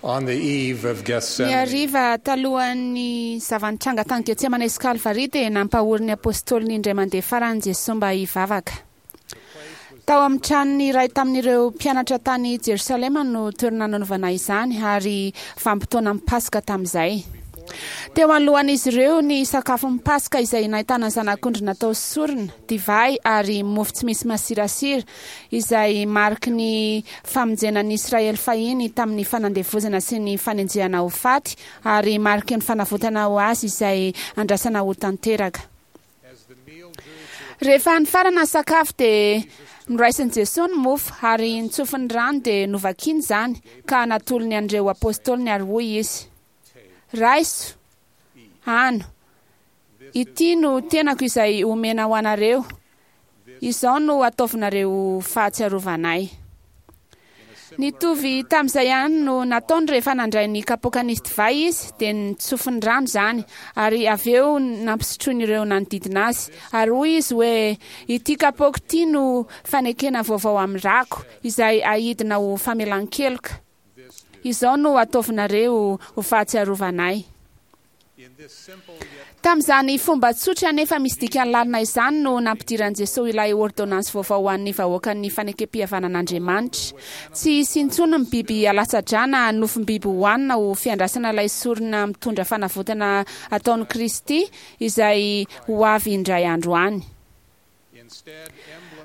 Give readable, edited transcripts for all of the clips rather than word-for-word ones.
On the eve of Ny Gethsemane, hariva talohan'ny zava-nitranga tany Getsemane sy Kalvary dia nampahory ny apôstôliny indray mandeha farany Jesoa mba hivavaka. Tao amin'ny tranon'ny iray tamin'ireo mpianatra tany Jerosalema no toerana nanaovana izany ary vanim-potoanan'ny Paska tamin'izay. Teo anoloan'izy ireo ny sakafon'ny Paska izay nahitana zanak'ondry natao sorona, divay ary mofo tsy misy masirasira izay mariky ny famonjena ny Israely fahiny tamin'ny fanandevozana sy ny fanenjehana ho faty ary mariky ny fanavotana ho azy izay andrasana ho tanteraka. Rehefa nifarana ny sakafo dia noraisin'i Jesoa ny mofo ary nitsofiny rano dia novakiny izany ka natolony an'ireo apôstôliny ary hoy Izy, Raiso, hano, ity no tenako izay omena ho anareo, Izao no ataovinareo ho fahatsiarovana ahy. Nitovy tamin'izay ihany no nataony rehefa nandray ny kapoaka nisy divay izy, dia nitsofiny rano izany, ary avy eo nampisotroiny ireo nanodidina azy. Ary hoy izy hoe, Ity kapoaka ity no fanekena vaovao amin'ny rako, izay aidina ho famelan-keloka. Izao no ataovinareo ho fahatsiarovana ahy. Tamin'izany fomba tsotra nefa misy dikany lalina izany no nampidiran'i Jesoa ilay ôrdônansy vaovao ho an'ny vahoakan'ny fanekempihavanan'Andriamanitra. Tsy hisy intsony ny biby alatsa-drà na nofom-biby hohanina ho fiandrasana ilay sorona mitondra fanavotana ataon'i Kristy izay ho avy indray andro any.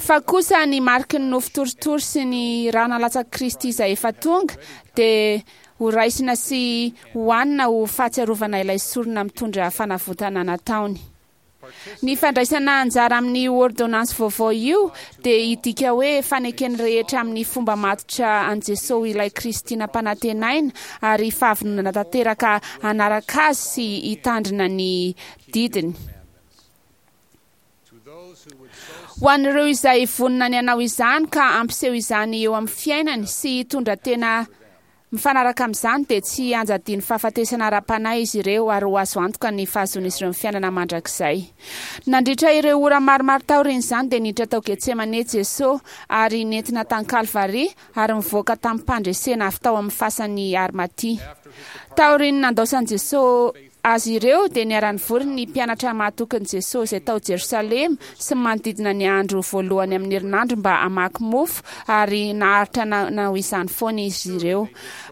Fa kosa ny mariky ny nofo torotoro sy ny rà nalatsak'i Kristy izay efa tonga dia ho raisina sy hohanina ho fahatsiarovana ilay sorona mitondra fanavotana nataony. Ny fandraisana anjara amin'io ôrdônansy vaovao io dia hidika hoe faneken'ny rehetra amin'ny fomba matotra an'i Jesoa ho ilay Kristy nampanantenaina ary fahavononana tanteraka hanaraka Azy sy hitandrina ny didiny. Ho an'ireo izay vonona ny hanao izany ka hampiseho izany eo amin'ny fiainany sy hitondra tena mifanaraka amin'izany dia tsy hianjadian'ny fahafatesana ara-panahy izy ireo ary ho azo antoka ny fahazoan'izy ireo ny fiainana mandrakizay. Nandritra ireo ora maromaro taorian'izany dia niditra tao Getsemane Jesoa ary nentina tany Kalvary ary nivoaka tamim-pandresena avy tao amin'ny fasan'i Arimatia. Taorian'ny nandaosan'i Jesoa Azy ireo dia niara-nivory ny mpianatra mahatokin'i Jesosy izay tao Jerosalema sy ny manodidina ny andro voalohany amin'ny herinandro mba hamaky mofo, ary naharitra nanao izany foana izy ireo.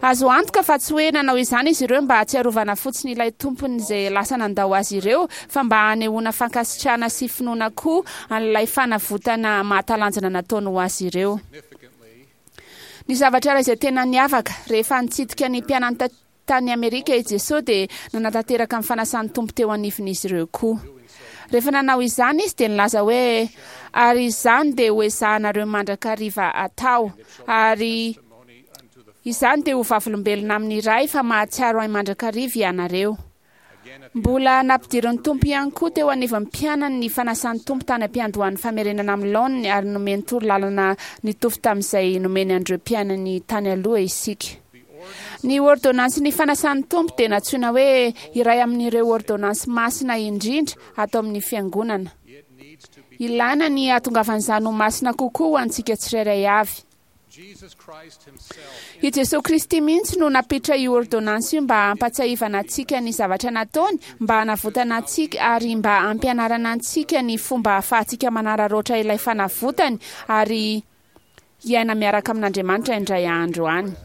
Azo antoka fa tsy hoe nanao izany izy ireo mba hahatsiarovana fotsiny ilay Tompony izay lasa nandao azy ireo, fa mba hanehoana fankasitrahana sy finoana koa an'ilay fanavotana mahatalanjona nataony ho azy ireo. Ny zavatra iray izay tena niavaka, rehefa nitsidika ny mpianany Tany Amerika i Jesoa dia nanatanteraka ny fanasan'ny Tompo teo anivon'izy ireo koa. Rehefa nanao izany Izy dia nilaza hoe, Ary izany dia hoezahanareo mandrakariva atao, ary izany dia ho vavolombelona amin'ny Ray fa mahatsiaro Ahy mandrakariva ianareo. Mbola nampidirin'ny Tompo ihany koa teo anivon'ny mpianany ny fanasan'ny Tompo tany am-piandohan'ny famerenana amin'ny laoniny ary nomeny torolalana nitovy tamin'izay nomeny an'ireo mpianany tany aloha isika. Ny ôrdônansin'ny fanasan'ny Tompo dia nantsoina hoe iray amin'ireo ôrdônansy masina indrindra ato amin'ny Fiangonana. Ilaina ny hahatongavan'izany ho masina kokoa ho antsika tsirairay avy. I Jesoa Kristy mihitsy no nampiditra io ôrdônansy io mba hampatsiahivana antsika ny zavatra nataony, mba hanavotana antsika, ary mba hampianarana antsika ny fomba ahafahantsika manararaotra ilay fanavotany ary hiaina miaraka amin'Andriamanitra indray andro any.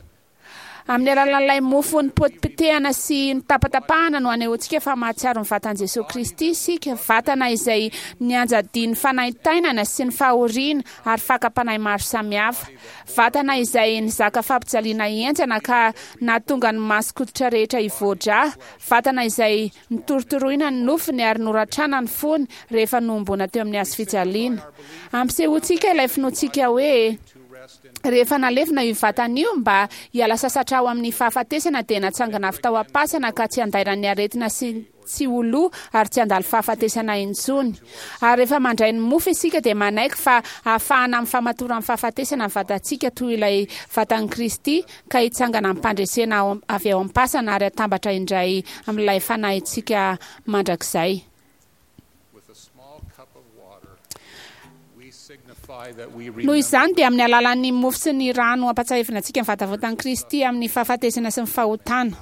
Amin'ny alalan'ilay mofo nipotipotehana sy notapatapahana no anehoantsika fa mahatsiaro ny vatan'i Jesoa Kristy isika, vatana izay nianjadian'ny fanaintainana sy ny fahoriana ary fakam-panahy maro samihafa, vatana izay nizaka fampijaliana henjana ka nahatonga ny mason-koditra rehetra hivoa-drà, vatana izay Notorotoroina ny nofony ary noratrana ny fony rehefa nohomboana teo amin'ny hazofijaliana. Ampisehoantsika ilay finoantsika hoe rehefa nalevina io vatana io mba hiala sasatra ao amin'ny fahafatesana dia natsangana avy tao am-pasana ka tsy handairan'ny aretina sy tsy ho lo ary tsy handalo fahafatesana intsony. Ary rehefa mandray ny mofo isika dia manaiky fa ahafahana amin'ny famatoran'ny fahafatesana ny vatantsika toy ilay vatan'i Kristy ka hitsangana amim-pandresena avy ao am-pasana ary hatambatra indray amin'ilay fanahintsika mandrakizay. Noho izany dia amin'ny alalan'ny mofo sy ny rano ampatsiahivina antsika ny vatavotan'i Kristy amin'ny fahafatesana sy ny fahotana.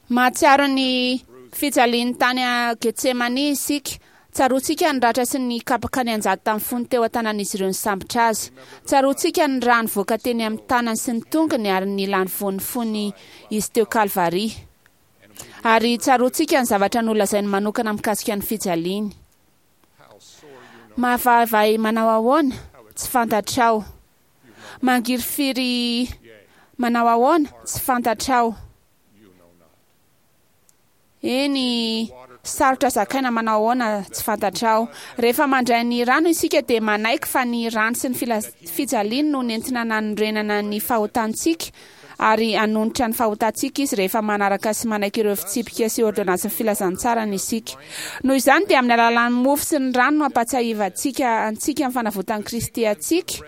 Mahatsiaro ny fijaliany tany Getsemane isika. Tsaroantsika ny ratra sy ny kapoka nianjady tamin'ny fony teo an-tanan'izy ireo nisambotra azy. Tsaroantsika ny rà nivoaka teny amin'ny tanany sy ny tongony ary ny lany voany fony izy teo Kalvary. Ary tsaroantsika ny zavatra nolazainy manokana mikasika ny fijaliany. Mahavaivay manao ahoana? Tsy fantatrao. Mangirifiry manao ahoana? Tsy fantatrao. Eny, sarotra zakaina manao ahoana? Tsy fantatrao. Rehefa mandray ny rano isika dia manaiky fa ny rano sy ny fijaliany no nentina nanorenana ny fahotantsika ary hanonitra ny fahotantsika izy rehefa manaraka sy manaiky ireo fitsipika sy ôrdônansin'ny filazantsarany isika. Noho izany dia amin'ny alalan'ny mofo sy ny rano no ampatsiahivantsika antsika ny fanavotan'i Kristy antsika.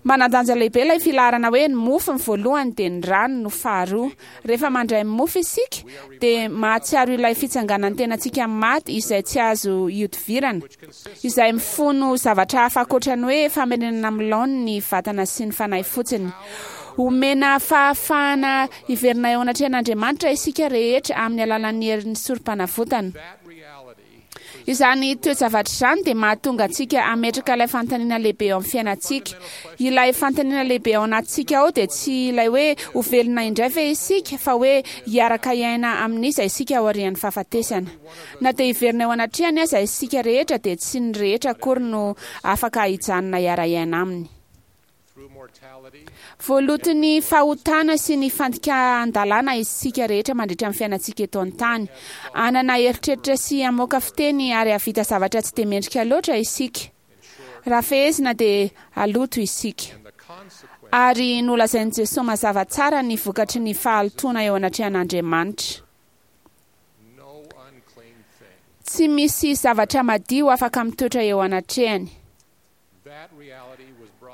Manan-danja lehibe ilay filaharana hoe ny mofo ny voalohany dia ny rano no faharoa. Rehefa mandray ny mofo isika dia mahatsiaro ilay fitsanganan'ny tenantsika amin'ny maty izay tsy azo ihodivirana, izay mifono zavatra hafa ankoatra ny hoe famerenana amin'ny laoniny ny vatana sy ny fanahy fotsiny. Omena fahafahana hiverina eo anatrehan'Andriamanitra isika rehetra amin'ny alalan'ny herin'ny sorom-panavotana. Izany toe-javatra izany dia mahatonga antsika hametraka ilay fanontaniana lehibe eo amin'ny fiainantsika. Ilay fanontaniana lehibe ao anatintsika ao dia tsy ilay hoe ho velona indray ve isika, fa hoe hiaraka hiaina amin'iza isika aorian'ny fahafatesana. Na dia hiverina eo anatrehany aza isika rehetra dia tsy ny rehetra akory no afaka hijanona hiara-hiaina aminy. Voaloton'ny fahotana sy ny fandikan-dalàna isika rehetra mandritra ny fiainantsika eto an-tany. Hanana eritreritra sy hamoaka fiteny ary hahavita zavatra tsy dia mendrika loatra isika. Raha fehezina dia haloto isika. Ary nolazain'i Jesoa mazava tsara ny vokatry ny fahalotoana eo anatrehan'Andriamanitra. Tsy misy zavatra madio afaka mitoetra eo anatrehany.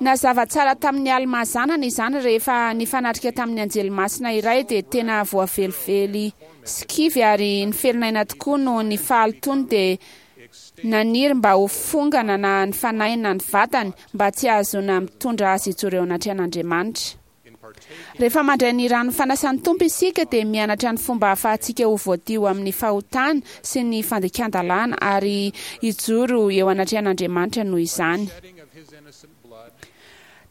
Nazava tsara tamin'i Almà zanany izany rehefa nifanatrika tamin'ny anjely masina iray dia tena voavelively sy kivy ary niferinaina tokoa noho ny fahalotoany dia naniry mba ho fongana na ny fanahiny na ny vatany mba tsy hahazoana mitondra azy hijoro eo anatrehan'Andriamanitra. Rehefa mandray ny ran'ny fanasan'ny Tompo isika dia mianatra ny fomba ahafahantsika ho voadio amin'ny fahotana sy ny fandikan-dalàna ary hijoro eo anatrehan'Andriamanitra noho izany.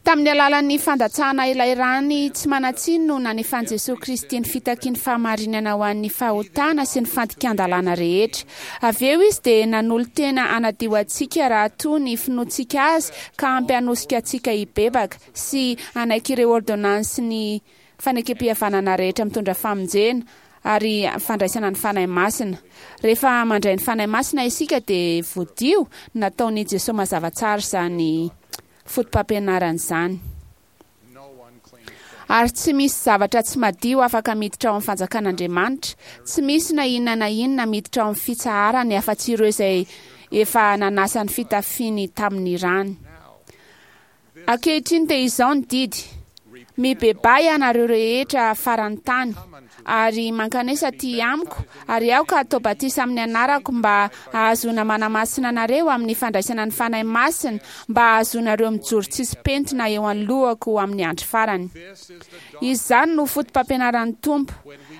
Tamin'ny alalan'ny fandatsahana ilay rany tsy manan-tsiny no nanefan'i Jesoa Kristy ny fitakiany fahamarinana ho an'ny fahotana sy ny fandikan-dalàna rehetra. Avy eo Izy dia nanolo-tena hanadio antsika raha toa ny finoantsika Azy ka ampy hanosika antsika hibebaka. sy hanaiky ireo ôrdônansin'ny fanekempihavanana rehetra mitondra famonjena ary fandraisana ny Fanahy Masina. Rehefa mandray ny Fanahy Masina isika dia voadio, nataon'i Jesoa mazava tsara izany fotopampianarana izany. Ary tsy misy zavatra tsy madio afaka miditra ao amin'ny fanjakan'Andriamanitra, tsy misy na inona na inona miditra ao amin'ny fitsaharany afa-tsy ireo izay efa nanasa ny fitafiany tamin'ny rany. Ankehitriny dia izao ny didy, Mibebaha ianareo rehetra faran'ny tany, ary mankanesa aty amiko, ary aoka hatao batisa amin'ny anarako mba hahazoana manamasina anareo amin'ny fandraisana ny Fanahy Masina, mba hahazoanareo mijoro tsisy pentina eo anoloako amin'ny andro farany. Izany no fotopampianaran'ny Tompo.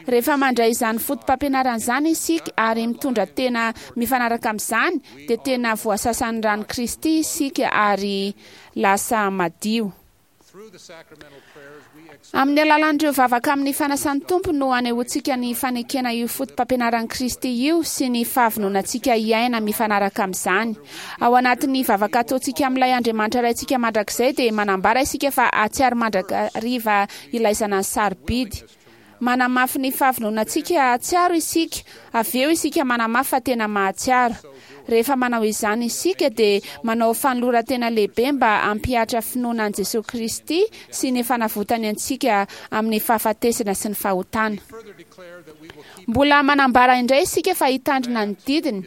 Rehefa mandray izany fotopampianarana izany isika ary mitondra tena mifanaraka amin'izany, dia tena voasasan'ny ran'i Kristy isika ary lasa madio. Amin'ny alalan'ireo vavaka amin'ny fanasan'ny Tompo no anehoantsika ny fanekena io fotopampianaran'i Kristy io sy ny fahavononantsika hiaina mifanaraka amin'izany. Ao anatin'ny vavaka ataontsika amin'ilay Andriamanitra Raintsika mandrakizay dia manambara isika fa hahatsiaro mandrakariva ilay Zanany sarobidy. Manamafy ny fahavononantsika hahatsiaro isika, avy eo isika manamafy fa tena mahatsiaro. Rehefa manao izany isika dia manao fanoloran-tena lehibe mba hampihatra finoana an'i Jesoa Kristy sy ny fanavotany antsika amin'ny fahafatesana sy ny fahotana. Mbola manambara indray isika fa hitandrina ny didiny.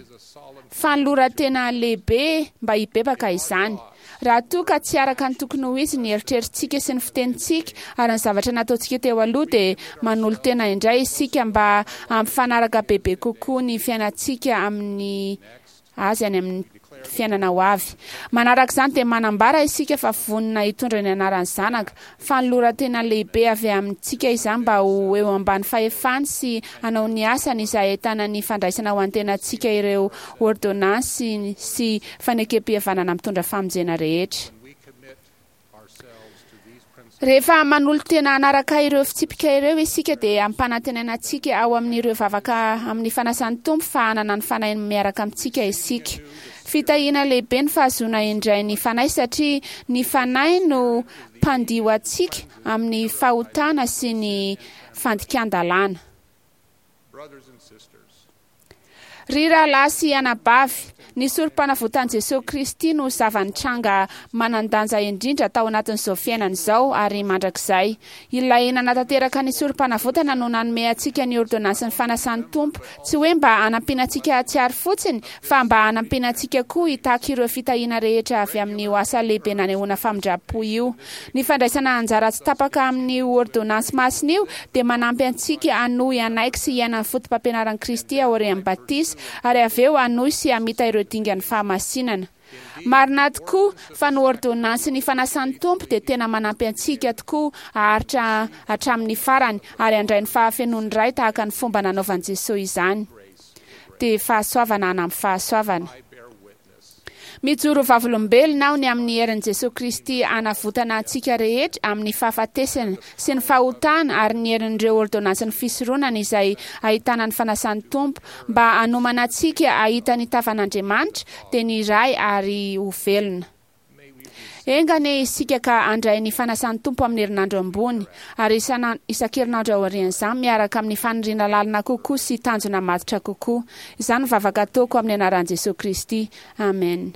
Fanoloran-tena lehibe mba hibebaka izany. Raha toa ka tsy araka ny tokony ho izy ny eritreritsika sy ny fitenintsika ary ny zavatra nataontsika teo aloha dia manolo-tena indray isika mba hampifanaraka bebe kokoa ny fiainantsika amin'ny Azy any amin'ny fiainana ho avy. Manaraka izany dia manambara isika fa vonona hitondra ny anaran'ny Zanaka. Fanoloran-tena lehibe avy amintsika izany mba ho eo ambany fahefany sy hanao ny asany izay ahitana ny fandraisana ho antenantsika ireo ôrdônansy sy fanekempihavanana mitondra famonjena rehetra. Rehefa manolo-tena hanaraka ireo fitsipika ireo isika dia ampanantenaina antsika ao amin'ireo vavaka amin'ny fanasan'ny Tompo fa hanana ny Fanahiny miaraka amintsika isika. Fitahiana lehibe ny fahazoana indray ny Fanahy satria ny Fanahy no mpandio antsika amin'ny fahotana sy ny fandikan-dalàna. Ry rahalahy sy anabavy, ny Sorompanavotan'i Jesoa Kristy no zava-nitranga manan-danja indrindra tao anatin'izao fiainana izao ary mandrakizay. Ilay nanatanteraka ny Sorompanavotana no nanome antsika ny ôrdônansin'ny fanasan'ny Tompo, tsy hoe mba hanampiana antsika hahatsiaro fotsiny, fa mba hanampiana antsika koa hitaky ireo fitahiana rehetra avy amin'io asa lehibe nanehoana famindram-po io. Ny fandraisana anjara tsy tapaka amin'io ôrdônansy masina io dia manampy antsika hanohy hanaiky sy hiaina ny fotopampianaran'i Kristy aorian'ny batisa ary avy eo hanohy sy hamita ireo dingan'ny fahamasinana. Marina tokoa fa ny ôrdônansin'ny fanasan'ny Tompo dia tena manampy antsika tokoa haharitra hatramin'ny farany ary handray ny fahafenoan'ny Ray tahaka ny fomba nanaovan'i Jesoa izany. Dia fahasoavana hanampy fahasoavana. Mijoro ho vavolombelona aho ny amin'ny herin'i Jesoa Kristy hanavotana antsika rehetra amin'ny fahafatesana sy ny fahotana ary ny herin'ireo ôrdônansin'ny fisoronana izay ahitana ny fanasan'ny Tompo mba hanomana antsika hahita ny tavan'Andriamanitra dia ny Ray ary ho velona. Enga anie isika ka handray ny fanasan'ny Tompo amin'ny herinandro ambony, ary isan-kerinandro aorian'izany miaraka amin'ny faniriana lalina kokoa sy tanjona matotra kokoa. Izany no vavaka ataoko amin'ny anaran'i Jesoa Kristy. Amen.